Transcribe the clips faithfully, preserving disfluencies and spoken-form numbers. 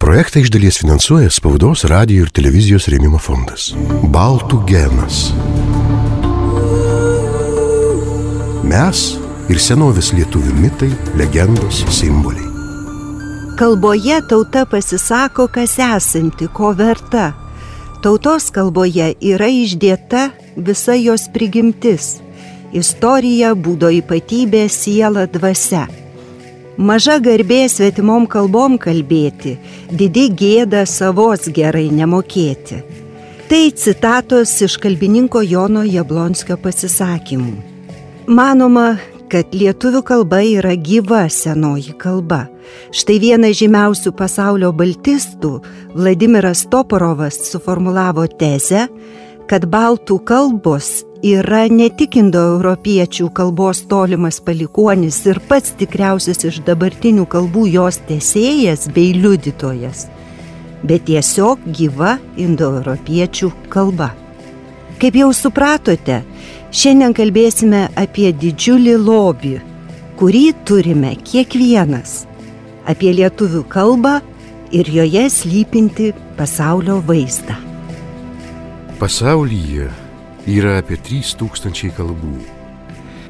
Projektą iš dalies finansuoja Spaudos, radijo ir televizijos rėmimo fondas. Baltų genas. Mes ir senovės lietuvių mitai, legendos, simboliai. Kalboje tauta pasisako, kas esanti, ko verta. Tautos kalboje yra išdėta visa jos prigimtis. Istorija, būdo ypatybė, siela, dvasia. Maža garbė svetimom kalbom kalbėti, didi gėda savos gerai nemokėti. Tai citatos iš kalbininko Jono Jablonskio pasisakymų. Manoma, kad lietuvių kalba yra gyva senoji kalba. Štai vienas žymiausių pasaulio baltistų, Vladimiras Toporovas, suformulavo tezę, kad baltų kalbos yra ne tik indoeuropiečių kalbos tolimas palikuonis ir pats tikriausias iš dabartinių kalbų jos tęsėjas bei liudytojas, bet tiesiog gyva indoeuropiečių kalba. Kaip jau supratote, šiandien kalbėsime apie didžiulį lobį, kurį turime kiekvienas, apie lietuvių kalbą ir joje slypinti pasaulio vaizdą. Pasaulyje yra apie trys tūkstančiai kalbų.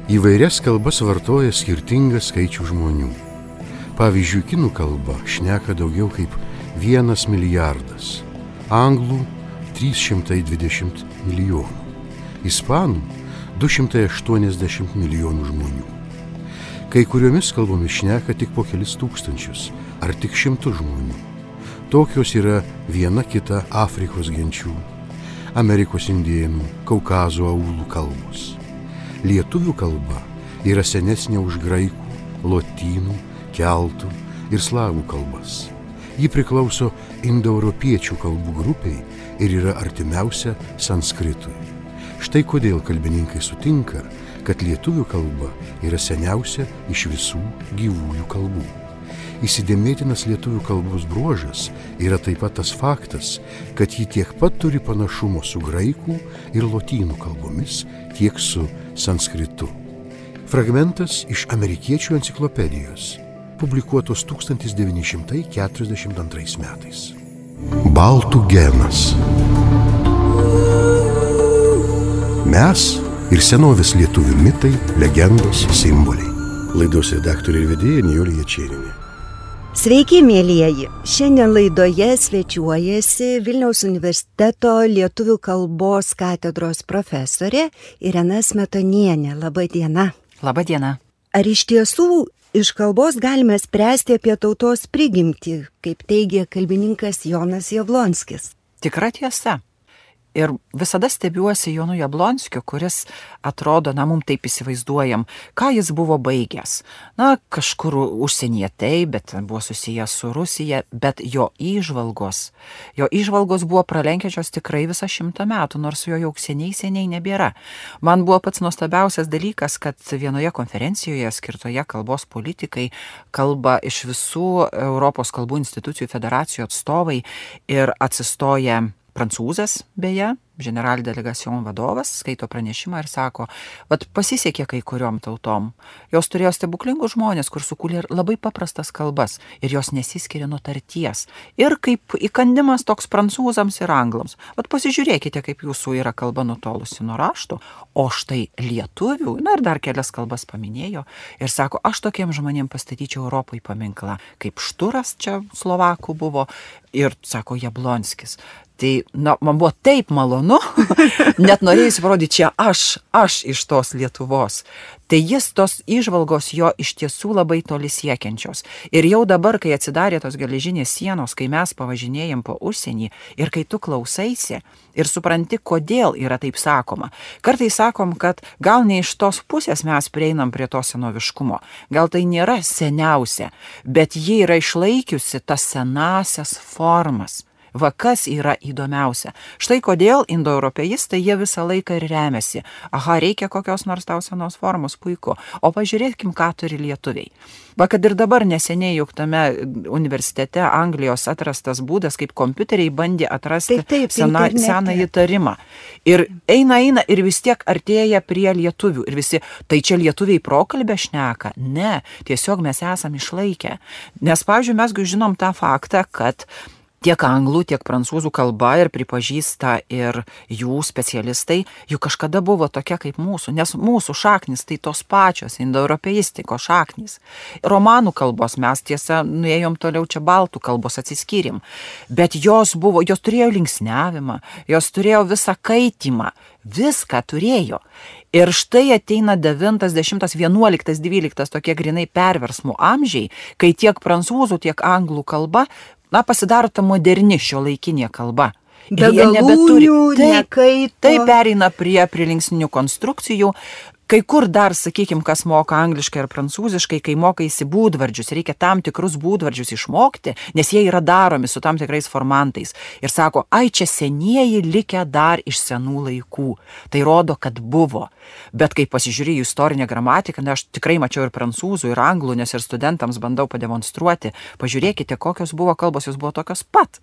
Įvairias kalbas vartoja skirtingas skaičių žmonių. Pavyzdžiui, kinų kalba šneka daugiau kaip vienas milijardas, anglų trys šimtai dvidešimt milijonų, ispanų du šimtai aštuoniasdešimt milijonų žmonių. Kai kuriomis kalbomis šneka tik po kelis tūkstančius ar tik šimtus žmonių. Tokios yra viena kita Afrikos genčių, Amerikos indėnų, Kaukazo aulų kalbos. Lietuvių kalba yra senesnė už graikų, lotynų, keltų ir slavų kalbas. Ji priklauso indoeuropiečių kalbų grupiai ir yra artimiausia sanskritui. Štai kodėl kalbininkai sutinka, kad lietuvių kalba yra seniausia iš visų gyvųjų kalbų. Įsidėmėtinas lietuvių kalbos bruožas yra taip pat tas faktas, kad ji tiek pat turi panašumo su graikų ir lotynų kalbomis, tiek su sanskritu. Fragmentas iš amerikiečių enciklopedijos, publikuotos tūkstantis devyni šimtai keturiasdešimt antrais metais. Baltų genas. Mes ir senovės lietuvių mitai, legendos, simboliai. Laidos redaktorė ir vedėja Nijolė Jačėnienė. Sveiki, mielieji! Šiandien laidoje svečiuojasi Vilniaus universiteto lietuvių kalbos katedros profesorė Irena Smetonienė. Labą dieną. Labą dieną. Ar iš tiesų iš kalbos galime spręsti apie tautos prigimtį, kaip teigia kalbininkas Jonas Jablonskis? Tikra tiesa. Ir visada stebiuosi Jonu Jablonskiu, kuris atrodo, na, mum taip įsivaizduojam, ką jis buvo baigęs. Na, kažkur užsienyje tai, bet buvo susijęs su Rusija, bet jo įžvalgos, jo įžvalgos buvo pralenkiančios tikrai visą šimtą metų, nors jo jau seniai seniai nebėra. Man buvo pats nuostabiausias dalykas, kad vienoje konferencijoje skirtoje kalbos politikai kalba iš visų Europos kalbų institucijų federacijų atstovai ir atsistoja prancūzas, beje, General Delegation vadovas, skaito pranešimą ir sako, vat pasisekė kai kuriom tautom. Jos turėjo stebuklingų žmonės, kur sukūlė labai paprastas kalbas ir jos nesiskiria nuo tarties. Ir kaip įkandimas toks prancūzams ir anglams. Vat pasižiūrėkite, kaip jūsų yra kalba nutolusi nuo rašto, o štai lietuvių, na ir dar kelias kalbas paminėjo ir sako, aš tokiem žmonėm pastatyčiau Europai paminklą, kaip Šturas čia Slovakų buvo ir sako Jablonskis. Tai, na, man buvo taip malonu, net norėjusi parodyti, čia aš, aš iš tos Lietuvos. Tai jis tos įžvalgos jo iš tiesų labai toli siekiančios. Ir jau dabar, kai atsidarė tos geležinės sienos, kai mes pavažinėjom po užsienį ir kai tu klausaisi ir supranti, kodėl yra taip sakoma. Kartais sakom, kad gal ne iš tos pusės mes prieinam prie to senoviškumo. Gal tai nėra seniausia, bet ji yra išlaikiusi tas senasias formas. Va kas yra įdomiausia. Štai kodėl indoeuropeistai jie visą laiką ir remiasi. Aha, reikia kokios nors tau senos formos, puiku. O pažiūrėkim, ką turi lietuviai. Va, kad ir dabar neseniai juk tame universitete Anglijos atrastas būdas, kaip kompiuteriai bandė atrasti taip, taip, sena, senąjį tarimą. Ir eina, eina ir vis tiek artėja prie lietuvių. Ir visi, tai čia lietuviai prokalbę šneka? Ne, tiesiog mes esam išlaikę. Nes, pavyzdžiui, mes žinom tą faktą, kad tiek anglų, tiek prancūzų kalba ir pripažįsta ir jų specialistai, jų kažkada buvo tokia kaip mūsų, nes mūsų šaknis tai tos pačios indoeuropeistikos šaknis. Romanų kalbos mes tiesa nuėjom toliau, čia baltų kalbos atsiskyrim, bet jos buvo, jos turėjo linksniavimą, jos turėjo visą kaitimą, viską turėjo. Ir štai ateina devintas, dešimtas, vienuoliktas, dvyliktas tokie grinai perversmų amžiai, kai tiek prancūzų, tiek anglų kalba na, pasidaro ta moderni šiuolaikinė kalba. Be galūnių, nekaito. Tai pereina prie prilinksnių konstrukcijų. Kai kur dar, sakykim, kas moka angliškai ar prancūziškai, kai mokaisi būdvardžius, reikia tam tikrus būdvardžius išmokti, nes jie yra daromi su tam tikrais formantais. Ir sako, ai čia senieji likę dar iš senų laikų. Tai rodo, kad buvo. Bet kai pasižiūrėjau istorinę gramatiką, na, aš tikrai mačiau ir prancūzų, ir anglų, nes ir studentams bandau pademonstruoti. Pažiūrėkite, kokios buvo kalbos, jos buvo tokios pat.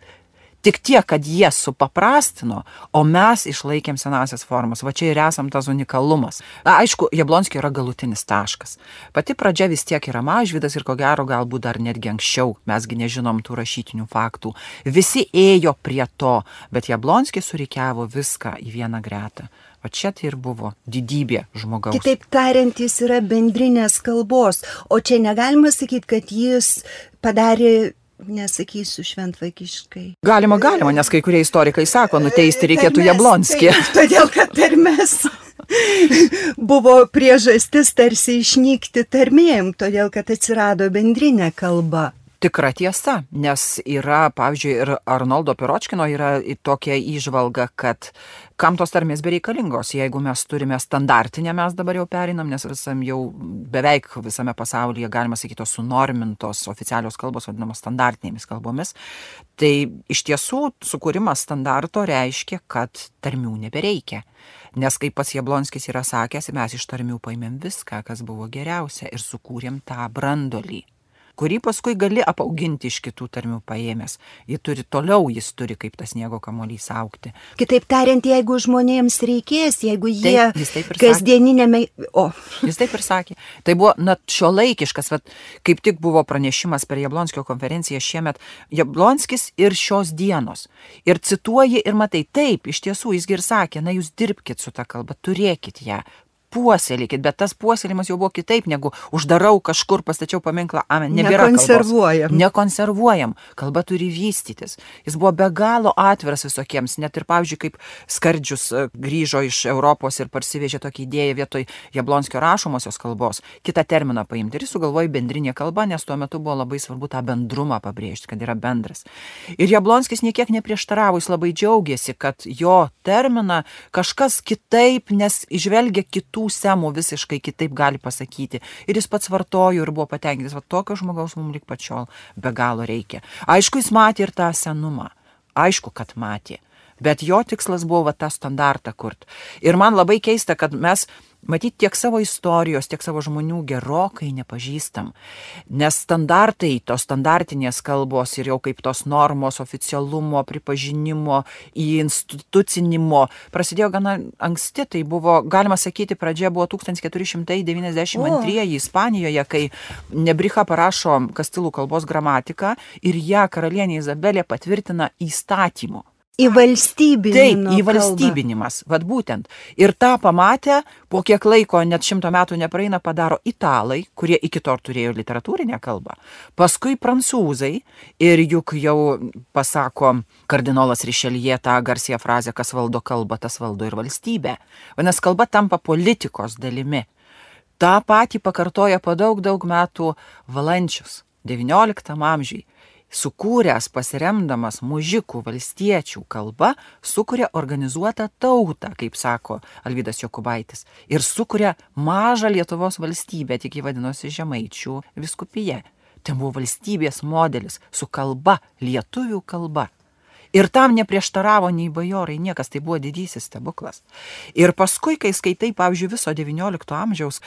Tik tiek, kad jie supaprastino, o mes išlaikėm senasias formas. Va čia ir esam tas unikalumas. Na, aišku, Jablonskio yra galutinis taškas. Pati pradžia vis tiek yra Mažvydas ir ko gero galbūt dar netgi anksčiau. Mesgi nežinom tų rašytinių faktų. Visi ėjo prie to, bet Jablonskis surikiavo viską į vieną gretą. O čia tai ir buvo didybė žmogaus. Kitaip tariant, jis yra bendrinės kalbos, o čia negalima sakyti, kad jis padarė, nesakysiu šventvagiškai. Galima, galima, nes kai kurie istorikai sako, nuteisti reikėtų Jablonskį. Todėl, kad tarmės buvo priežastis tarsi išnykti tarmėm, todėl, kad atsirado bendrinė kalba. Tikra tiesa, nes yra, pavyzdžiui, ir Arnoldo Piročkino yra tokia įžvalga, kad kam tos tarmės bereikalingos, jeigu mes turime standartinę, mes dabar jau perinam, nes visam jau beveik visame pasaulyje, galima sakyti, tos sunormintos oficialios kalbos vadinamos standartinėmis kalbomis, tai iš tiesų sukūrimas standarto reiškia, kad tarmių nebereikia. Nes kaip pats Jablonskis yra sakęs, mes iš tarmių paėmėm viską, kas buvo geriausia ir sukūrėm tą brandolį, kurį paskui gali apauginti iš kitų tarmių paėmęs. Jis turi toliau, jis turi kaip tas sniego kamuolys augti. Kitaip tariant, jeigu žmonėms reikės, jeigu jie taip, taip kasdieninėme... O. Jis taip ir sakė. Tai buvo net šiuolaikiškas, vat, kaip tik buvo pranešimas per Jablonskio konferenciją šiemet, Jablonskis ir šios dienos. Ir cituoji ir matai, taip, iš tiesų jis ir sakė, na jūs dirbkit su ta kalba, turėkit ją. Puoselėkit, bet tas puoselimas jau buvo kitaip, negu uždarau kažkur, pastačiau paminklą, amen, nebėra kalbos. Nekonservuojam. Nekonservuojam. Kalba turi vystytis. Jis buvo be galo atviras visokiems, net ir, pavyzdžiui, kaip Skardžius grįžo iš Europos ir parsivežė tokį idėją vietoj Jablonskio rašomosios kalbos, kitą terminą paimti. Ir jis sugalvojo bendrinė kalba, nes tuo metu buvo labai svarbu tą bendrumą pabrėžti, kad yra bendras. Ir Jablonskis niekiek neprieštaravo, jis labai džiaugiasi, kad jo terminą kažkas kitaip, nes įžvelgia kitų semų visiškai kitaip gali pasakyti. Ir jis pats vartojo ir buvo patenkintas, va tokio žmogaus mums lik pačiol be galo reikia. Aišku, jis matė ir tą senumą. Aišku, kad matė. Bet jo tikslas buvo va tą standartą kurt. Ir man labai keista, kad mes matyt tiek savo istorijos, tiek savo žmonių gerokai nepažįstam. Nes standartai, tos standartinės kalbos ir jau kaip tos normos, oficialumo, pripažinimo, institucinimo prasidėjo gana anksti. Tai buvo, galima sakyti, pradžia buvo tūkstantis keturi šimtai devyniasdešimt antrieji Ispanijoje, kai Nebricha parašo kastilų kalbos gramatiką ir ją karalienė Izabelė patvirtina įstatymu. Įvalstybinimo. Taip, įvalstybinimas, vad būtent. Ir tą pamatę, po kiek laiko, net šimto metų nepraeina, padaro italai, kurie iki to turėjo literatūrinę kalbą. Paskui prancūzai ir juk jau pasako kardinolas Rišeljė tą garsią frazę, kas valdo kalbą, tas valdo ir valstybę. Vadinasi, kalba tampa politikos dalimi. Ta patį pakartoja po daug, daug metų Valančius, devynioliktam amžiui. Sukūręs pasiremdamas mužikų valstiečių kalba, sukuria organizuotą tautą, kaip sako Alvydas Jokubaitis, ir sukuria mažą Lietuvos valstybę, tik jį vadinosi Žemaičių vyskupija. Tai buvo valstybės modelis su kalba, lietuvių kalba. Ir tam neprieštaravo nei bajorai, niekas, tai buvo didysis stebuklas. Ir paskui, kai skaitai, pavyzdžiui, viso devyniolikto amžiaus,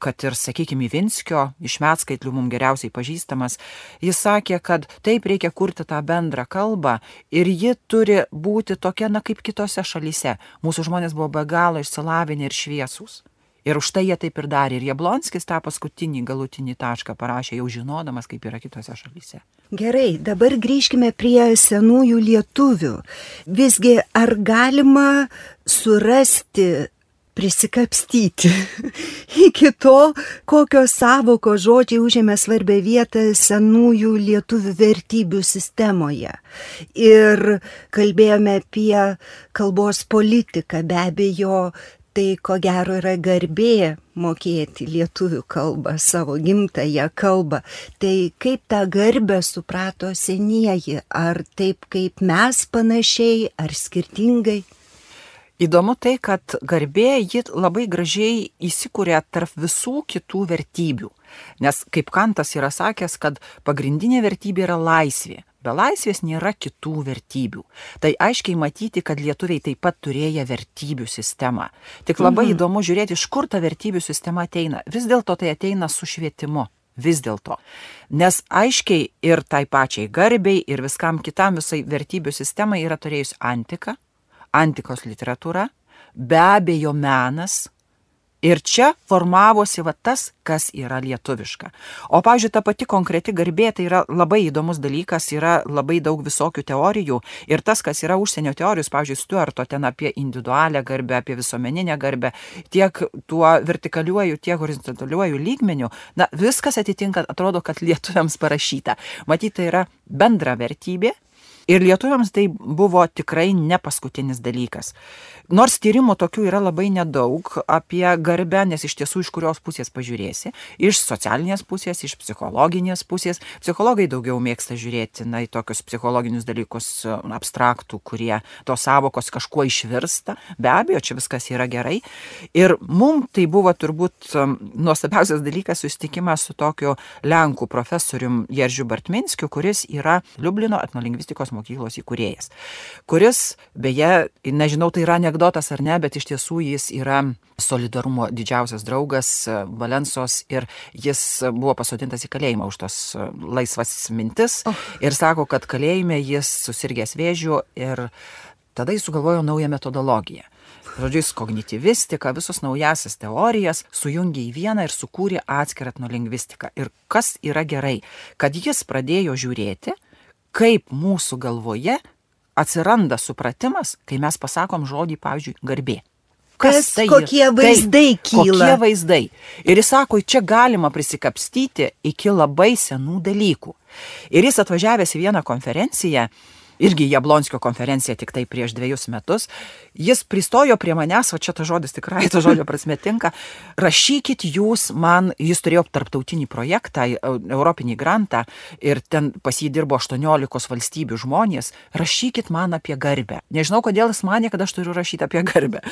kad ir, sakykime, Ivinskio, iš Medskaitlių mums geriausiai pažįstamas, jis sakė, kad taip reikia kurti tą bendrą kalbą ir ji turi būti tokia, na, kaip kitose šalyse. Mūsų žmonės buvo be galo išsilavinę ir šviesūs. Ir už tai jie taip ir darė. Ir Jablonskis tą paskutinį galutinį tašką parašė, jau žinodamas, kaip yra kitose šalyse. Gerai, dabar grįžkime prie senųjų lietuvių. Visgi, ar galima surasti, prisikapstyti iki to, kokios sąvokos žodžiai užėmė svarbią vietą senųjų lietuvių vertybių sistemoje? Ir kalbėjome apie kalbos politiką, be abejo, tai ko gero yra garbė mokėti lietuvių kalbą, savo gimtąją kalbą. Tai kaip tą garbę suprato senieji? Ar taip kaip mes panašiai, ar skirtingai? Įdomu tai, kad garbė ji labai gražiai įsikūrė tarp visų kitų vertybių. Nes kaip Kantas yra sakęs, kad pagrindinė vertybė yra laisvė. Be laisvės nėra kitų vertybių. Tai aiškiai matyti, kad lietuviai taip pat turėjo vertybių sistemą. Tik labai mhm. įdomu žiūrėti, iš kur ta vertybių sistema ateina. Vis dėlto tai ateina su švietimu. Vis dėlto. Nes aiškiai ir tai pačiai garbei, ir viskam kitam visai vertybių sistemai yra turėjus antika, antikos literatūra, be abejo menas. Ir čia formavosi va tas, kas yra lietuviška. O, pavyzdžiui, ta pati konkreti garbė, tai yra labai įdomus dalykas, yra labai daug visokių teorijų. Ir tas, kas yra užsienio teorijos, pavyzdžiui, Stuarto ten apie individualią garbę, apie visuomeninę garbę, tiek tuo vertikaliuoju, tiek horizontaliuoju lygmeniu, na, viskas atitinka, atrodo, kad lietuviams parašyta. Matyt, tai yra bendra vertybė. Ir lietuviams tai buvo tikrai ne paskutinis dalykas. Nors tyrimų tokių yra labai nedaug apie garbę, nes iš tiesų iš kurios pusės pažiūrėsi, iš socialinės pusės, iš psichologinės pusės. Psichologai daugiau mėgsta žiūrėti na, į tokius psichologinius dalykus abstraktų, kurie tos sąvokos kažkuo išvirsta. Be abejo, čia viskas yra gerai. Ir mums tai buvo turbūt nuostabiausias dalykas susitikimas su tokiu Lenkų profesorium Jeržiu Bartminskiu, kuris yra Liublino etnolingvistikos mokyklos įkūrėjas, kuris, beje, nežinau, tai yra anekdotas ar ne, bet iš tiesų jis yra solidarumo didžiausias draugas Valensos ir jis buvo pasodintas į kalėjimą už tos laisvas mintis oh. ir sako, kad kalėjime jis susirgęs vėžiu ir tada jis sugalvojo naują metodologiją. Žodžiu, jis kognityvistika, visus naujasias teorijas sujungė į vieną ir sukūrė atskirą etnolingvistiką. Ir kas yra gerai, kad jis pradėjo žiūrėti, kaip mūsų galvoje atsiranda supratimas, kai mes pasakom žodį, pavyzdžiui, garbė. Kas, kas tai kokie yra? vaizdai tai, kyla? Kokie vaizdai. Ir jis sako, čia galima prisikapstyti iki labai senų dalykų. Ir jis atvažiavęs į vieną konferenciją, irgi Jablonskio konferencija tik tai prieš dviejus metus, jis pristojo prie manęs, va čia ta žodis tikrai, ta žodžio prasme tinka, rašykit jūs man, jis turėjo tarptautinį projektą, europinį grantą ir ten pas jį dirbo aštuoniolikos valstybių žmonės, rašykit man apie garbę. Nežinau, kodėl jis manė, kad aš turiu rašyti apie garbę.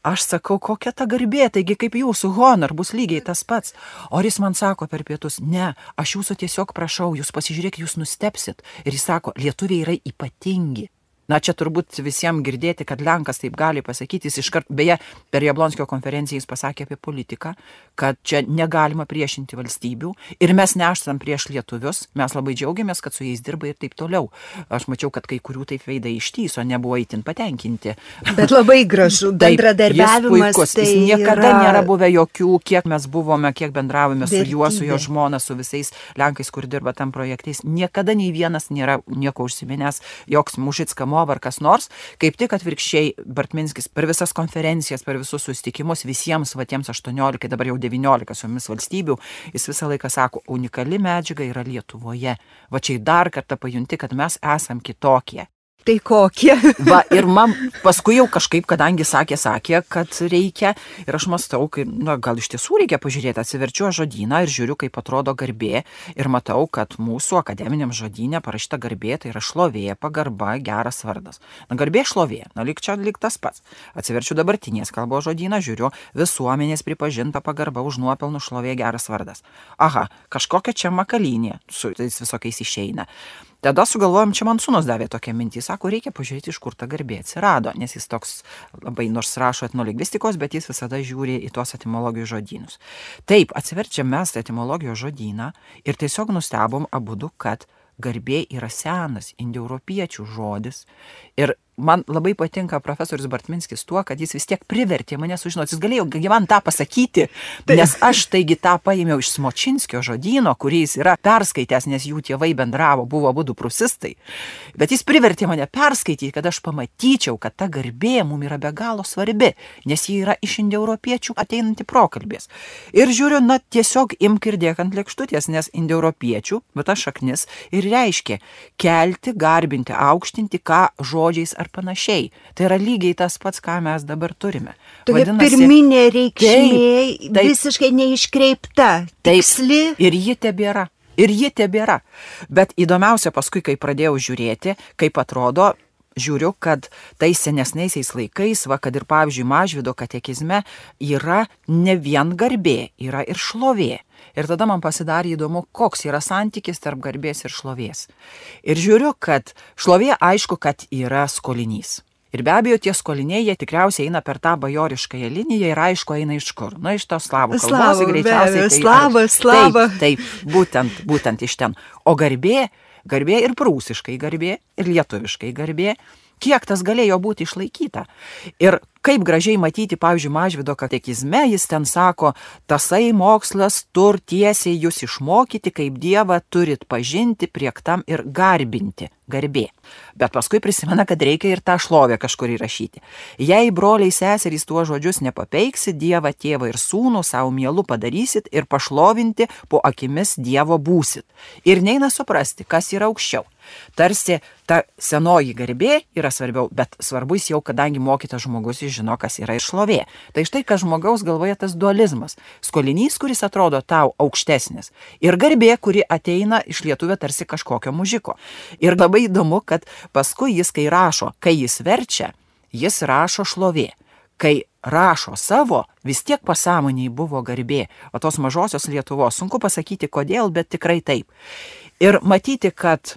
Aš sakau, kokia ta garbė, taigi kaip jūsų honor bus lygiai tas pats. O jis man sako per pietus, ne, aš jūsų tiesiog prašau, jūs pasižiūrėkit, jūs nustepsit. Ir jis sako, lietuviai yra ypatingi. Ypatingi. Na, čia turbūt visiems girdėti, kad Lenkas taip gali pasakyti, jis iškart, beje, per Jablonskio konferenciją jis pasakė apie politiką, kad čia negalima priešinti valstybių ir mes neštam prieš lietuvius, mes labai džiaugiamės, kad su jais dirba ir taip toliau. Aš mačiau, kad kai kurių taip veidai ištyso, nebuvo itin patenkinti. Bet labai gražu, bendradarbiavimas. Jis puikus, tai jis niekada yra... nėra buvę jokių, kiek mes buvome, kiek bendravome su juo, su jo žmona, su visais Lenkais, kur dirba tam projektais. Niekada nei vienas nėra nieko užsiminęs, joks Mužicka ar kas nors, kaip tik atvirkščiai Bartminskis per visas konferencijas, per visus susitikimus visiems va tiems aštuoniolika, dabar jau devyniolika su jomis valstybių, jis visą laiką sako, unikali medžiaga yra Lietuvoje. Va čia dar kartą pajunti, kad mes esam kitokie. Tai kokie? Va, ir man paskui jau kažkaip, kadangi sakė, sakė, kad reikia, ir aš mąstau, kai, na, gal iš tiesų reikia pažiūrėti, atsiverčiu žodyną ir žiūriu, kaip atrodo garbė, ir matau, kad mūsų akademiniam žodyne parašyta garbė, tai yra šlovė, pagarba, geras vardas. Na, garbė šlovė, na, lyg čia lyg tas pats. Atsiverčiu dabartinės kalbos žodyną, žiūriu, visuomenės pripažinta pagarba už nuopelnų šlovė, geras vardas. Aha, kažkokia čia makalynė su tais visokiais išeina. Tada sugalvojom, čia man sūnus davė tokią mintį, sako, reikia pažiūrėti, iš kur ta garbė atsirado, nes jis toks labai nors rašo etnolingvistikos, bet jis visada žiūri į tuos etimologijos žodynus. Taip, atsiverčiam mes etimologijos žodyną ir tiesiog nustebom abudu, kad garbė yra senas indoeuropiečių žodis. Ir man labai patinka profesorius Bartminskis tuo, kad jis vis tiek privertė mane sužinoti, jis galėjo man tą pasakyti, tai. Nes aš taigi tą paėmiau iš Smočinskio žodyno, kurį jis yra perskaitęs, nes jų tėvai bendravo, buvo abudu prūsistai. Bet jis privertė mane perskaityti, kad aš pamatyčiau, kad ta garbė mums yra be galo svarbi, nes ji yra iš indoeuropiečių ateinanti prokalbės. Ir žiūriu, na tiesiog imk ir dėk ant lėkštutės, nes indoeuropiečių, bet ta šaknis ir reiškia kelti, garbinti, aukštinti, ką žodžiais ar panašiai. Tai yra lygiai tas pats, ką mes dabar turime. Tokia Vadinasi, pirminė reikšmė, taip, taip, visiškai neiškreipta, tiksli. Ir ji tebėra. Ir ji tebėra. Bet įdomiausia paskui, kai pradėjau žiūrėti, kaip atrodo, žiūriu, kad tais senesniaisiais laikais, va, kad ir pavyzdžiui Mažvydo katekizme yra ne vien garbė, yra ir šlovė. Ir tada man pasidarė įdomu, koks yra santykis tarp garbės ir šlovės. Ir žiūriu, kad šlovė aišku, kad yra skolinys. Ir be abejo, tie skoliniai, jie tikriausiai eina per tą bajoriškąją liniją ir aišku, eina iš kur. Na, iš tos slavų kalbos, greičiausiai. Tai, slava, slava. Taip, taip, būtent, būtent iš ten. O garbė, garbė ir prūsiškai garbė, ir lietuviškai garbė, kiek tas galėjo būti išlaikyta. Ir kaip gražiai matyti, pavyzdžiui, Mažvydo katekizme, jis ten sako, tasai mokslas tur tiesiai jūs išmokyti, kaip Dievą turit pažinti, priektam ir garbinti, garbė. Bet paskui prisimena, kad reikia ir tą šlovę kažkur įrašyti. Jei broliai seserys tuo žodžius nepapeiksi, Dievą, tėvą ir sūnų savo mielu padarysit ir pašlovinti po akimis Dievo būsit. Ir neina suprasti, kas yra aukščiau. Tarsi ta senoji garbė yra svarbiau, bet svarbus jau, kadangi mokytas žmogus jis žino, kas yra ir šlovė. Tai štai, kas žmogaus galvoje tas dualizmas. Skolinys, kuris atrodo tau aukštesnis. Ir garbė, kuri ateina iš lietuvio tarsi kažkokio mužiko. Ir labai įdomu, kad paskui jis, kai rašo, kai jis verčia, jis rašo šlovė. Kai rašo savo, vis tiek pasąmoniai buvo garbė. O tos mažosios Lietuvos, sunku pasakyti kodėl, bet tikrai taip. Ir matyti, kad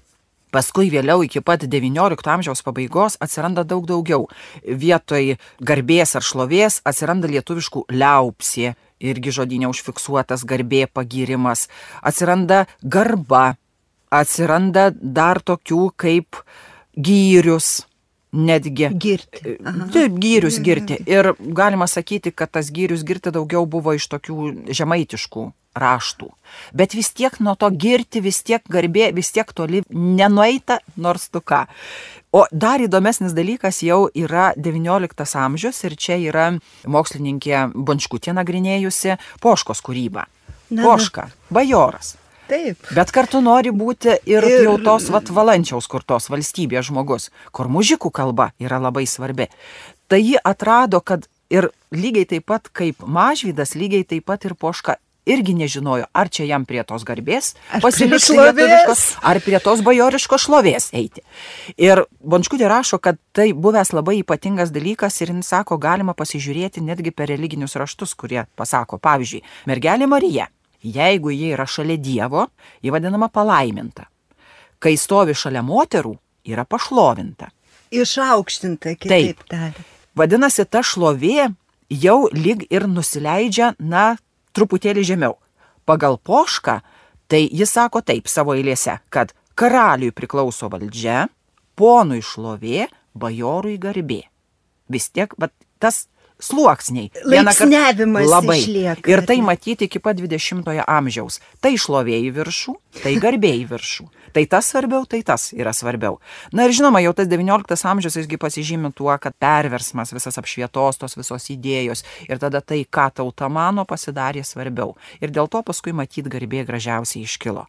paskui vėliau iki pat devyniolikto amžiaus pabaigos atsiranda daug daugiau. Vietoj garbės ar šlovės atsiranda lietuviškų liaupsė, irgi žodyne užfiksuotas garbė, pagyrimas. Atsiranda garba, atsiranda dar tokių kaip gyrius, netgi. Girti. Taip, gyrius girti. Ir galima sakyti, kad tas gyrius girti daugiau buvo iš tokių žemaitiškų raštų. Bet vis tiek nuo to girti, vis tiek garbė, vis tiek toli nenueita, nors tu ką. O dar įdomesnis dalykas jau yra devynioliktas amžius ir čia yra mokslininkė Bončkutė nagrinėjusi Poškos kūrybą. Na, Poška, bajoras. Taip. Bet kartu nori būti ir, ir... jau tos vat, valančiaus kurtos valstybės žmogus, kur mužikų kalba yra labai svarbi. Tai ji atrado, kad ir lygiai taip pat kaip Mažvydas, lygiai taip pat ir Poška irgi nežinojo, ar čia jam prie tos garbės pasilikti lietuviškos, ar prie tos bajoriškos šlovės eiti. Ir Bončkutė rašo, kad tai buvęs labai ypatingas dalykas ir jis sako, galima pasižiūrėti netgi per religinius raštus, kurie pasako, pavyzdžiui, mergelė Marija, jeigu jie yra šalia Dievo, ji vadinama palaiminta. Kai stovi šalia moterų, yra pašlovinta. Išaukštinta, kitaip tariant. Vadinasi, ta šlovė jau lyg ir nusileidžia, na, truputėlį žemiau. Pagal Pošką, tai jis sako taip savo eilėse, kad karaliui priklauso valdžia, ponui šlovė, bajorui garbė. Vis tiek, bet tas sluoksniai. Laipsniavimas labai išlieka. Ir tai matyti iki pat dvidešimtojo amžiaus. Tai šlovė į viršų, tai garbė į viršų. Tai tas svarbiau, tai tas yra svarbiau. Na ir žinoma, jau tas devynioliktas amžius jisgi pasižymi tuo, kad perversmas, visas apšvietos, tos visos idėjos ir tada tai, ką tauta mano, pasidarė svarbiau. Ir dėl to paskui matyt garbė gražiausiai iškilo.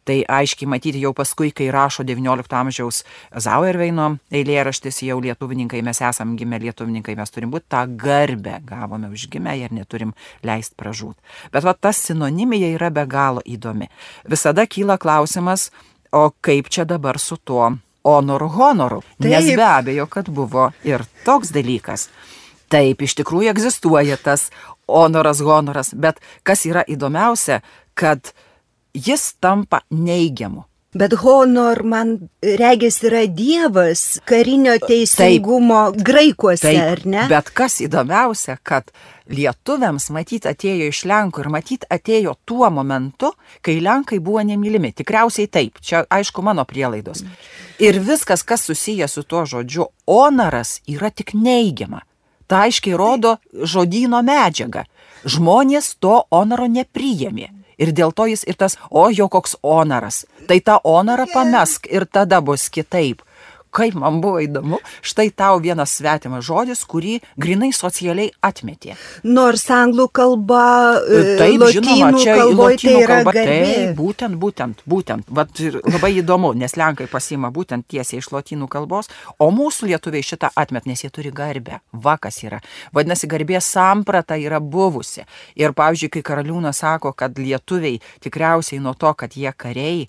Tai aiškiai matyti jau paskui, kai rašo devyniolikto amžiaus Zauerveino eilėraštis, jau lietuvininkai, mes esam gimę lietuvininkai, mes turim būti tą garbę, gavome užgimę ir neturim leist pražūt. Bet va, tas sinonimija yra be galo įdomi. Visada kyla klausimas, o kaip čia dabar su tuo honoru honoru? Taip. Nes be abejo, kad buvo ir toks dalykas. Taip, iš tikrųjų egzistuoja tas honoras, honoras, bet kas yra įdomiausia, kad jis tampa neigiamu. Bet honor, man regis, yra dievas karinio teisingumo taip, graikuose, taip, ar ne? Bet kas įdomiausia, kad lietuviams matyt atėjo iš Lenkų ir matyt atėjo tuo momentu, kai Lenkai buvo nemylimi. Tikriausiai taip, čia aišku mano prielaidos. Ir viskas, kas susiję su tuo žodžiu onaras, yra tik neigiama. Ta aiškiai rodo žodyno medžiagą. Žmonės to onaro nepriėmė. Ir dėl to jis ir tas, o jo koks onaras. Tai tą onarą pamesk ir tada bus kitaip. Kaip man buvo įdomu, štai tau vienas svetimas žodis, kurį grinai socialiai atmetė. Nors anglų kalba, taip, lotynų žinoma, čia kalboje tai yra kalba, garbė. Taip, būtent, būtent, būtent. Vat labai įdomu, nes Lenkai pasiima būtent tiesiai iš lotynų kalbos, o mūsų lietuviai šitą atmet, nes jie turi garbę. Vakas yra. Vadinasi, garbės samprata yra buvusi. Ir, pavyzdžiui, kai Karaliūnas sako, kad lietuviai tikriausiai nuo to, kad jie kariai,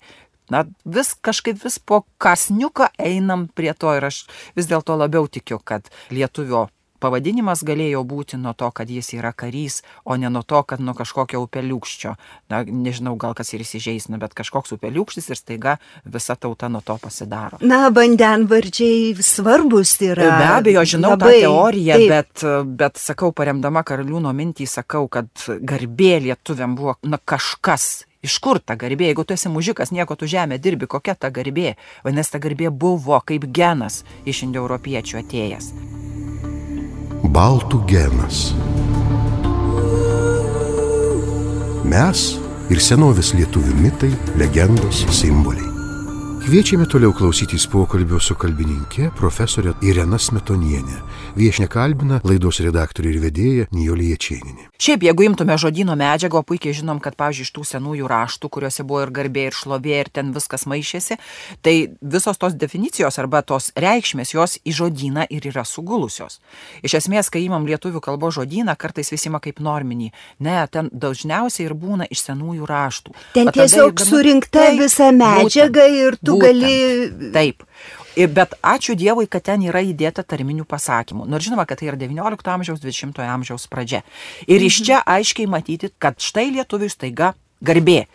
na, vis kažkaip vis po kasniuką einam prie to ir aš vis dėlto labiau tikiu, kad lietuvio pavadinimas galėjo būti nuo to, kad jis yra karys, o ne nuo to, kad nuo kažkokio upeliūkščio. Na, nežinau, gal kas ir įsižeisna, bet kažkoks upeliūkštis ir staiga visa tauta nuo to pasidaro. Na, vandenvardžiai svarbus yra. Be abejo, žinau labai, tą teoriją, taip. bet, bet sakau, paremdama Karaliūno mintį, sakau, kad garbė lietuviam buvo na, kažkas. Iš kur ta garbė? Jeigu tu esi mužikas, nieko tu žemė dirbi, kokia ta garbė? Vadinasi, ta garbė buvo kaip genas iš indoeuropiečių atėjęs. Baltų genas. Mes ir senovės lietuvių mitai, legendos, simboliai. Kviečiame toliau klausytis pokalbio su kalbininkė profesorė Irena Smetonienė. Viešnia kalbina laidos redaktorė ir vedėja Nijolė Jačėnienė. Šiaip, jeigu imtume žodyno medžiagą, puikiai žinom, kad, pavyzdžiui, iš tų senųjų raštų, kuriuose buvo ir garbė, ir šlovė, ir ten viskas maišėsi, tai visos tos definicijos arba tos reikšmės, jos į žodyną ir yra sugulusios. Iš esmės, kai imam lietuvių kalbos žodyną, kartais visi ima kaip norminį. Ne, ten dažniausiai ir būna iš senųjų raštų. Ten tiesiog surinkta visa medžiaga ir tu būtent, gali... Taip. Bet ačiū Dievui, kad ten yra įdėta tarminių pasakymų. Nors žinoma, kad tai yra devyniolikto amžiaus, dvidešimtojo amžiaus pradžia. Ir iš čia aiškiai matyti, kad štai lietuviui staiga garbė.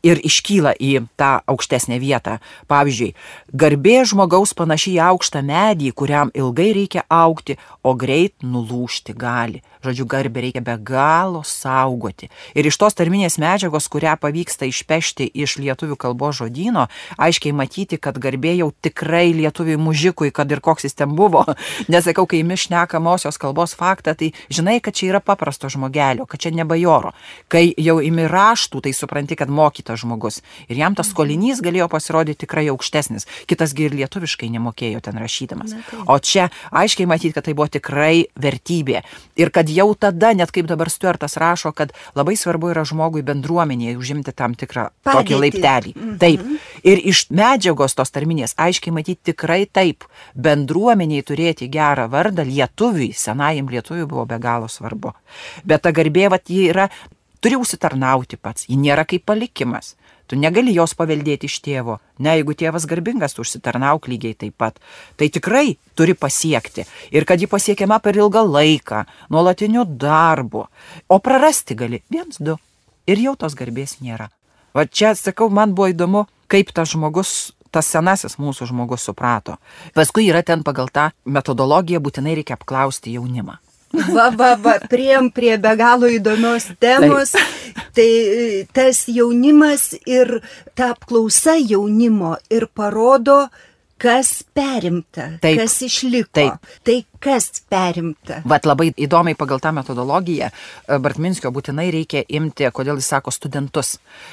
Ir iškyla į tą aukštesnę vietą. Pavyzdžiui, garbė žmogaus panašiai į aukštą medį, kuriam ilgai reikia augti, o greit nulūžti gali. Žodžiu, garbę reikia be galo saugoti. Ir iš tos tarminės medžiagos, kurią pavyksta išpešti iš lietuvių kalbos žodyno, aiškiai matyti, kad garbė jau tikrai lietuviui mužikui, kad ir koks jis ten buvo. Nesakau, kai imi šnekamosios kalbos faktą, tai žinai, kad čia yra paprasto žmogelio, kad čia ne bajoro. Kai jau imi raštų, tai supranti, kad mokytas žmogus. Ir jam tas skolinys galėjo pasirodyti tikrai aukštesnis. Kitasgi ir lietuviškai nemokėjo ten rašydamas. O čia aiškiai matyti, kad tai buvo tikrai vertybė. Ir kad jau tada, net kaip dabar Stuartas rašo, kad labai svarbu yra žmogui bendruomenėje užimti tam tikrą Padėtį. Tokį laiptelį. Mhm. Taip. Ir iš medžiagos tos tarminės aiškiai matyti tikrai taip. Bendruomeniai turėti gerą vardą lietuviui, senajam lietuviui buvo be galo svarbu. Bet ta garbė, vat, ji yra, turi užsitarnauti pats. Ji nėra kaip palikimas. Tu negali jos paveldėti iš tėvo. Ne, jeigu tėvas garbingas, tu užsitarnauk lygiai taip pat. Tai tikrai turi pasiekti. Ir kad ji pasiekiama per ilgą laiką, nuolatiniu darbu. O prarasti gali viens, du. Ir jau tos garbės nėra. Va čia, sakau, man buvo įdomu, kaip tas žmogus, tas senasis mūsų žmogus suprato. Paskui yra ten pagal tą metodologiją būtinai reikia apklausti jaunimą. Va, va, va, priem prie be galo įdomios temos, tai tas jaunimas ir ta apklausa jaunimo ir parodo, kas perimta, Taip. kas išliko. Taip. Tai kas perimta. Vat labai įdomiai pagal tą metodologiją Bartminskio būtinai reikia imti, kodėl jis sako studentus.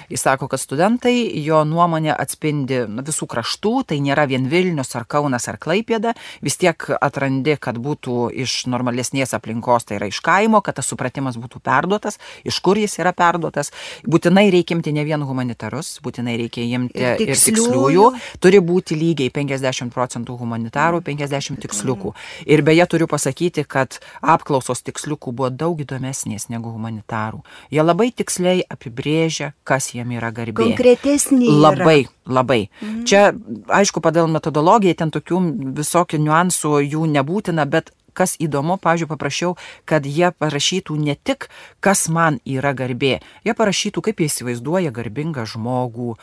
Jis sako, kad studentai jo nuomonė atspindi visų kraštų, tai nėra vien Vilnius ar Kaunas ar Klaipėda, vis tiek atrandi, kad būtų iš normalesnės aplinkos, tai yra iš kaimo, kad tas supratimas būtų perduotas, iš kur jis yra perduotas. Būtinai reikia imti ne vien humanitarus, būtinai reikia imti ir, ir tiksliųjų, turi būti lygiai penkiasdešimt procentų humanitarų, penkiasdešimt tiksliukų. Ir beje, turiu pasakyti, kad apklausos tiksliukų buvo daug įdomesnės negu humanitarų. Jie labai tiksliai apibrėžia, kas jiem yra garbė. Konkretesnė yra. Labai, labai. Mhm. Čia, aišku, pagal metodologiją ten tokių visokių niuansų jų nebūtina, bet kas įdomu, pavyzdžiui, paprašiau, kad jie parašytų ne tik, kas man yra garbė, jie parašytų, kaip jie įsivaizduoja garbingą žmogų,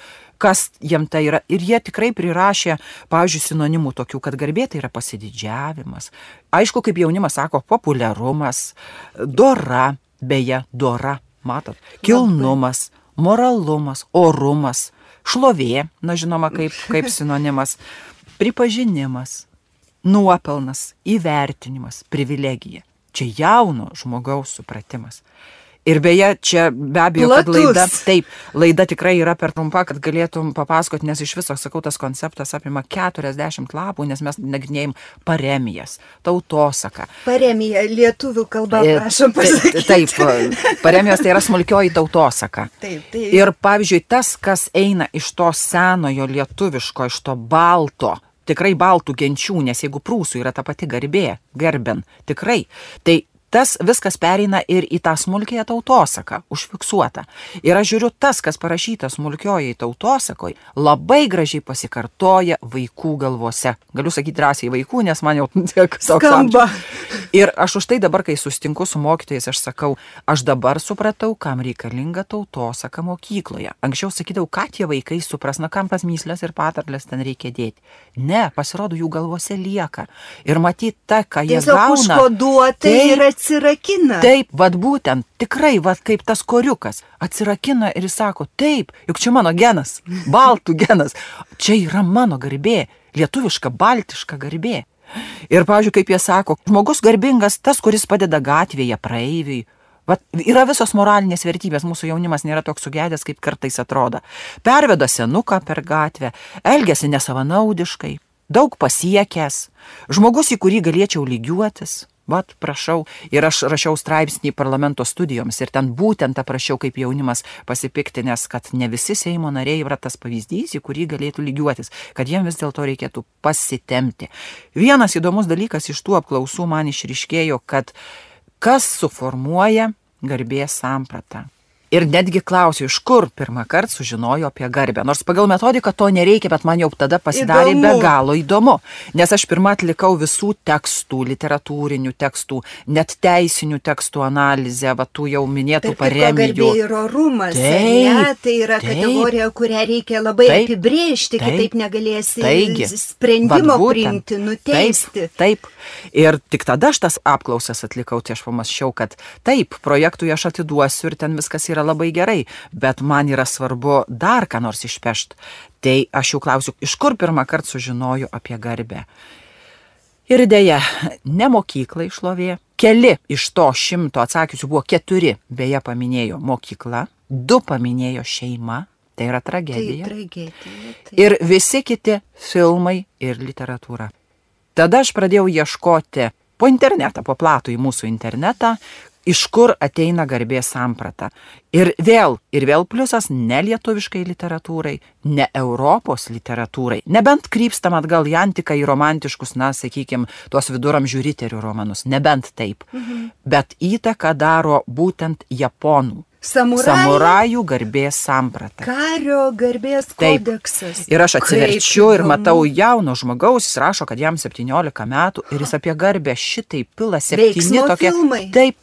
kas jiem tai yra. Ir jie tikrai prirašė, pavyzdžiui, sinonimų tokių, kad garbė tai yra pasididžiavimas. Aišku, kaip jaunimas sako, populiarumas, dora, beje, dora, matot, kilnumas, moralumas, orumas, šlovė, na žinoma, kaip, kaip sinonimas, pripažinimas, nuopelnas, įvertinimas, privilegija. Čia jauno žmogaus supratimas. Ir beje, čia be abejo, Platus. kad laida, taip, laida tikrai yra per trumpa, kad galėtum papasakoti, nes iš viso, sakau, tas konceptas apima keturiasdešimt lapų, nes mes nagrinėjim paremijas, tautosaką. Paremija, lietuvių kalba, prašom pasakyti. Taip, paremijos tai yra smulkioji tautosaka. Taip, taip. Ir pavyzdžiui, tas, kas eina iš to senojo lietuviško, iš to balto, tikrai baltų genčių, nes jeigu prūsų yra ta pati garbė, gerben, tikrai, tai tas viskas pereina ir į tą smulkiąją tautosaką, užfiksuotą. Ir aš žiūriu, tas, kas parašyta smulkiojai tautosakoj, labai gražiai pasikartoja vaikų galvose. Galiu sakyti drąsiai vaikų, nes man jau tiek skamba. Ir aš už tai dabar, kai sustinku su mokytojais, aš sakau, aš dabar supratau, kam reikalinga tautosaka mokykloje. Anksčiau sakydavau, ką tie vaikai supras, na kam tas myslės ir patarlės ten reikia dėti. Ne, pasirodo, jų galvose lieka. Ir matyt, ta, ką jie tiesiog gauna. užkoduota ir atsirakina. Taip, vad būtent, tikrai, vad kaip tas koriukas atsirakina ir jis sako, taip, juk čia mano genas, baltų genas, čia yra mano garbė, lietuviška, baltiška garbė. Ir, pavyzdžiui, kaip jie sako, žmogus garbingas tas, kuris padeda gatvėje praeiviui. Vat, yra visos moralinės vertybės, mūsų jaunimas nėra toks sugedęs, kaip kartais atrodo. Perveda senuką per gatvę, elgiasi nesavanaudiškai, daug pasiekęs, žmogus, į kurį galėčiau lygiuotis. Vat, prašau, ir aš rašiau straipsnį parlamento studijoms ir ten būtent aprašiau, kaip jaunimas pasipiktinęs, kad ne visi Seimo nariai yra tas pavyzdys, į kurį galėtų lygiuotis, kad jiem vis dėlto reikėtų pasitemti. Vienas įdomus dalykas iš tų apklausų man išryškėjo, kad kas suformuoja garbės sampratą. Ir netgi klausiu, iš kur pirmą kartą sužinojo apie garbę. Nors pagal metodiką to nereikia, bet man jau tada pasidarė įdomu. Be galo įdomu. Nes aš pirmą atlikau visų tekstų, literatūrinių tekstų, net teisinių tekstų analizę, va tų jau minėtų Tarp paremijų. Garbė ir orumas, Taip, ne? Tai yra taip, kategorija, kurią reikia labai taip, apibrėžti, taip, kitaip negalėsi taigi, sprendimo vat būtent, priimti, nuteisti. Taip, taip. Ir tik tada aš tas apklausas atlikau, tai aš pamačiau, kad taip, projektui aš atiduosiu ir ten viskas yra labai gerai, bet man yra svarbu dar ką nors išpešti. Tai aš jau klausiu, iš kur pirmą kartą sužinoju apie garbę. Ir dėja, ne mokyklai šlovė. Keli iš to šimto atsakysiu buvo keturi, beje paminėjo mokykla, du paminėjo šeima, tai yra tragedija. Tai tragedija. Tai. Ir visi kiti filmai ir literatūra. Tada aš pradėjau ieškoti po internetą, po platų į mūsų internetą, iš kur ateina garbės samprata. Ir vėl, ir vėl pliusas ne lietuviškai literatūrai, ne Europos literatūrai, nebent krypstam atgal į antiką, į romantiškus, na, sakykime, tuos viduramžių riterių romanus, nebent taip. Mhm. Bet įtaką daro būtent japonų. Samurajų, Samurajų garbės samprata. Kario garbės kodeksas. Taip. Ir aš atsiverčiu ir matau jauno žmogaus, jis rašo, kad jam septyniolika metų ir jis apie garbę šitai pila septyni tokie. Filmai. Taip.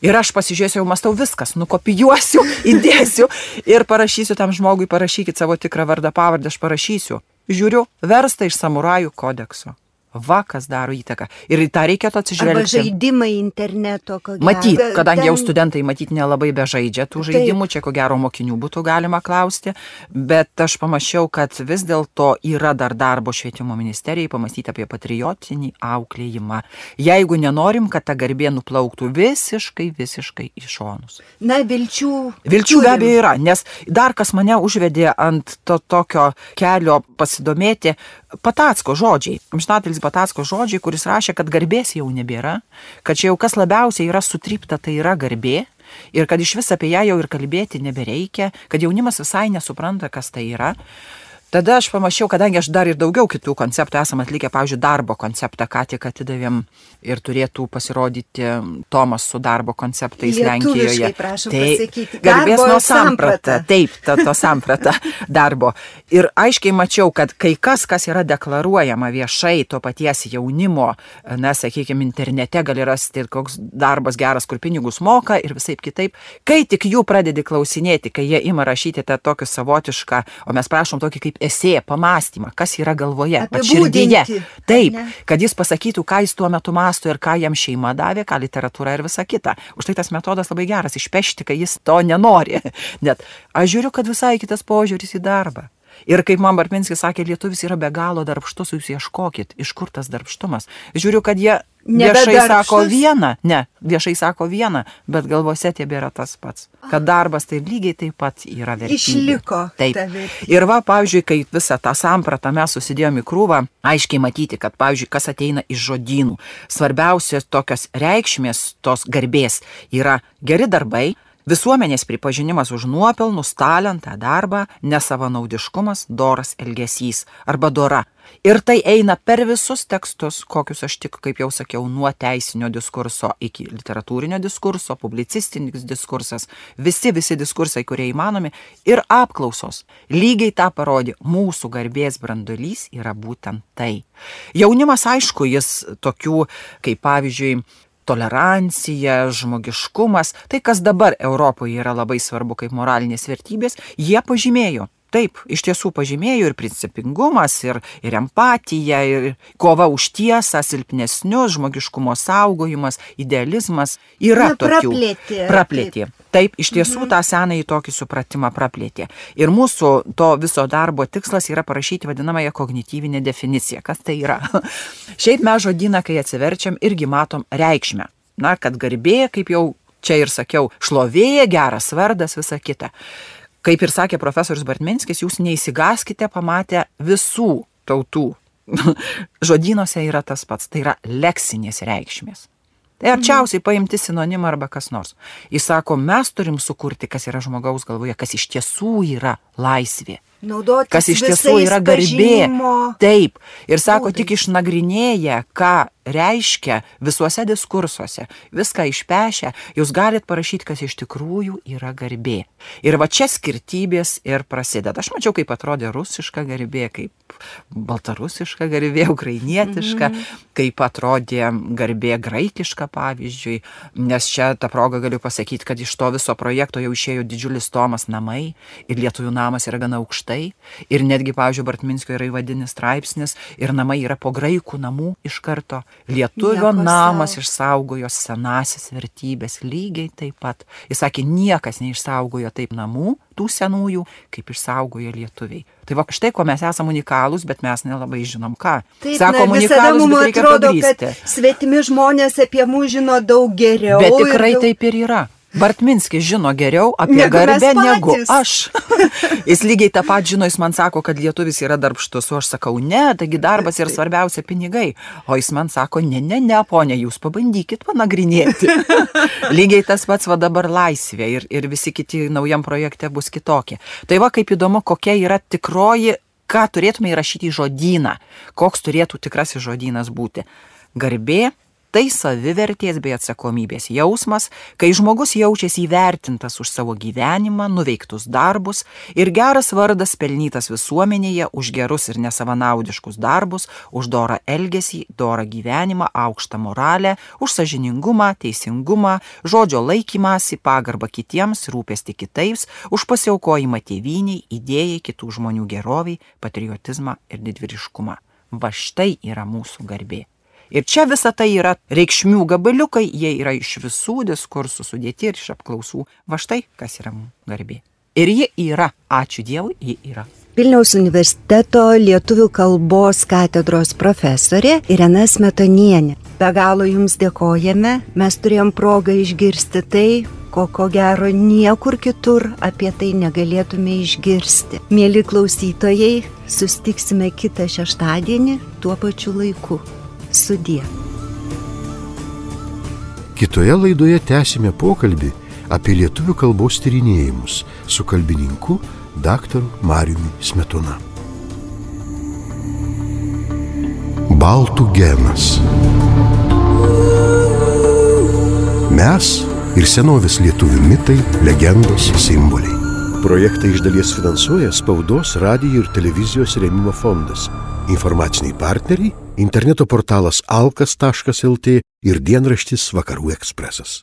Ir aš pasižiūrėsiu, jau mastau viskas, nukopijuosiu, įdėsiu ir parašysiu tam žmogui, parašykit savo tikrą vardą, pavardę, aš parašysiu. Žiūriu, versta iš Samurajų kodekso. Va, kas daro įtaką. Ir į tą reikėtų atsižvelgti. Arba žaidimai interneto, ko gero. Matyt, kadangi jau studentai matyt nelabai bežaidžia tų žaidimų, čia ko gero mokinių būtų galima klausti, bet aš pamačiau, kad vis dėlto yra dar darbo švietimo ministerijai pamastyti apie patriotinį auklėjimą. Jeigu nenorim, kad ta garbė nuplauktų visiškai, visiškai į šonus. Na, vilčių. Vilčių be abejo yra, nes dar kas mane užvedė ant to tokio kelio pasidomėti, Patacko žodžiai. Amžinatelis Patacko žodžiai, kuris rašė, kad garbės jau nebėra, kad čia jau kas labiausiai yra sutrypta, tai yra garbė, ir kad iš vis apie ją jau ir kalbėti nebereikia, kad jaunimas visai nesupranta, kas tai yra. tada aš pamačiau, kadangi aš dar ir daugiau kitų konceptų esam atlikę, pavyzdžiui, darbo konceptą, ką tik atidavėm ir turėtų pasirodyti Tomas su darbo konceptais Lenkijoje. Lietuviškai, prašom tai, pasakyti. Garbės Darbo nuo samprata. samprata. Taip, to, to samprata darbo. Ir aiškiai mačiau, kad kai kas, kas yra deklaruojama viešai to paties jaunimo, na, sakykime, internete gali rasti, koks darbas geras, kur pinigus moka ir visaip kitaip, kai tik jų pradedi klausinėti, kai jie ima rašyti tą tokį savotišką, o mes prašom tokį kaip esė, pamąstymą, kas yra galvoje, širdyje. Taip, kad jis pasakytų, ką jis tuo metu mąsto ir ką jam šeima davė, ką literatūra ir visa kita. Už tai tas metodas labai geras, išpešti, kai jis to nenori. Net aš žiūriu, kad visai kitas požiūris į darbą. Ir kaip man Bartminskis sakė, lietuvis yra be galo darbštus, jūs ieškokit, iš kur tas darbštumas. Žiūriu, kad jie viešai sako vieną, ne, viešai sako vieną, bet galvose tebėra tas pats. Kad darbas tai lygiai taip pat yra vertybė. Išliko. Taip. Ir va, pavyzdžiui, kai visą tą sampratą mes susidėjom į krūvą, aiškiai matyti, kad, pavyzdžiui, kas ateina iš žodynų. Svarbiausios tokios reikšmės, tos garbės yra geri darbai, visuomenės pripažinimas už nuopelnus, talentą, darbą, nesavanaudiškumas, doras elgesys arba dora. Ir tai eina per visus tekstus, kokius aš tik, kaip jau sakiau, nuo teisinio diskurso iki literatūrinio diskurso, publicistinis diskursas, visi, visi diskursai, kurie įmanomi, ir apklausos. Lygiai tą parodė, mūsų garbės branduolys yra būtent tai. Jaunimas, aišku, jis tokių, kaip pavyzdžiui, tolerancija, žmogiškumas, tai kas dabar Europoje yra labai svarbu kaip moralinės vertybės, jie pažymėjo. Taip, iš tiesų pažymėjo ir principingumas, ir, ir empatija, ir kova už tiesą, silpnesnius, žmogiškumo saugojimas, idealizmas. Yra Na, tokių. Praplėtė. Praplėtė. Taip, iš tiesų Mhm. tą senąjį tokį supratimą praplėtė. Ir mūsų to viso darbo tikslas yra parašyti vadinamąją kognityvinę definiciją. Kas tai yra? Šiaip mes žodyną, kai atsiverčiam, irgi matom reikšmę. Na, kad garbė, kaip jau čia ir sakiau, šlovė, geras vardas, visa kita. Kaip ir sakė profesorius Bartminskis, jūs neįsigaskite pamatę visų tautų. Žodynuose yra tas pats, tai yra leksinės reikšmės. Tai arčiausiai paimti sinonimą arba kas nors. Jis sako, mes turim sukurti, kas yra žmogaus galvoje, kas iš tiesų yra laisvė. Naudotis kas iš tiesų yra garbė. Taip. Ir sako, būdais. Tik išnagrinėję, ką reiškia visuose diskursuose, viską išpešę, jūs galit parašyti, kas iš tikrųjų yra garbė. Ir va čia skirtybės ir prasideda. Aš mačiau, kaip atrodė rusiška garbė, kaip baltarusiška garbė, ukrainietiška, mm-hmm. kaip atrodė garbė graikiška, pavyzdžiui. Nes čia tą progą galiu pasakyti, kad iš to viso projekto jau išėjo didžiulis tomas namai ir lietuvių namas yra gana aukštas. Ir netgi, pavyzdžiui, Bartminskio yra įvadinis straipsnis ir namai yra po graikų namų iš karto. Lietuvio Nieko namas sau. Išsaugojo senasis vertybės lygiai taip pat. Jis sakė, niekas neišsaugojo taip namų, tų senųjų, kaip išsaugojo lietuviai. Tai va, štai ko mes esame unikalūs, bet mes nelabai žinom ką. Taip, Sako, na, visada mums atrodo, kad svetimi žmonės apie mus žino daug geriau. Bet tikrai daug... taip ir yra. Bartminskis žino geriau apie negu garbę negu aš. Jis lygiai tą pat žino, jis man sako, kad lietuvis yra darbštus, o aš sakau, ne, taigi darbas ir svarbiausia pinigai. O jis man sako, ne, ne, ne, ponė, jūs pabandykit panagrinėti. Lygiai tas pats va dabar laisvė ir, ir visi kiti naujam projekte bus kitokie. Tai va kaip įdomu, kokia yra tikroji, ką turėtume įrašyti į žodyną, koks turėtų tikrasis žodynas būti. Garbė. Tai savivertės bei atsakomybės jausmas, kai žmogus jaučiasi įvertintas už savo gyvenimą, nuveiktus darbus ir geras vardas pelnytas visuomenėje už gerus ir nesavanaudiškus darbus, už dorą elgesį, dorą gyvenimą, aukštą moralę, už sąžiningumą, teisingumą, žodžio laikymąsi, pagarbą kitiems, rūpestį kitais, už pasiaukojimą tėvyniai, idėjai, kitų žmonių geroviai, patriotizmą ir didvyriškumą. Va štai yra mūsų garbė. Ir čia visa tai yra reikšmių gabaliukai, jie yra iš visų diskursų sudėti ir iš apklausų. Va štai, kas yra garbė. Ir ji yra, ačiū Dievui, ji yra. Vilniaus universiteto lietuvių kalbos katedros profesorė Irena Smetonienė. Be galo jums dėkojame, mes turėjom progą išgirsti tai, ko ko gero niekur kitur apie tai negalėtume išgirsti. Mieli klausytojai, susitiksime kitą šeštadienį tuo pačiu laiku. Sudie. Kitoje laidoje tęsime pokalbį apie lietuvių kalbos tyrinėjimus su kalbininku daktaru Mariumi Smetona. Baltų genas. Mes ir senovės lietuvių mitai, legendos, simboliai. Projektą iš dalies finansuoja Spaudos, radijo ir televizijos rėmimo fondas. Informaciniai partneriai – interneto portalas alkas taškas lt ir dienraštis Vakarų ekspresas.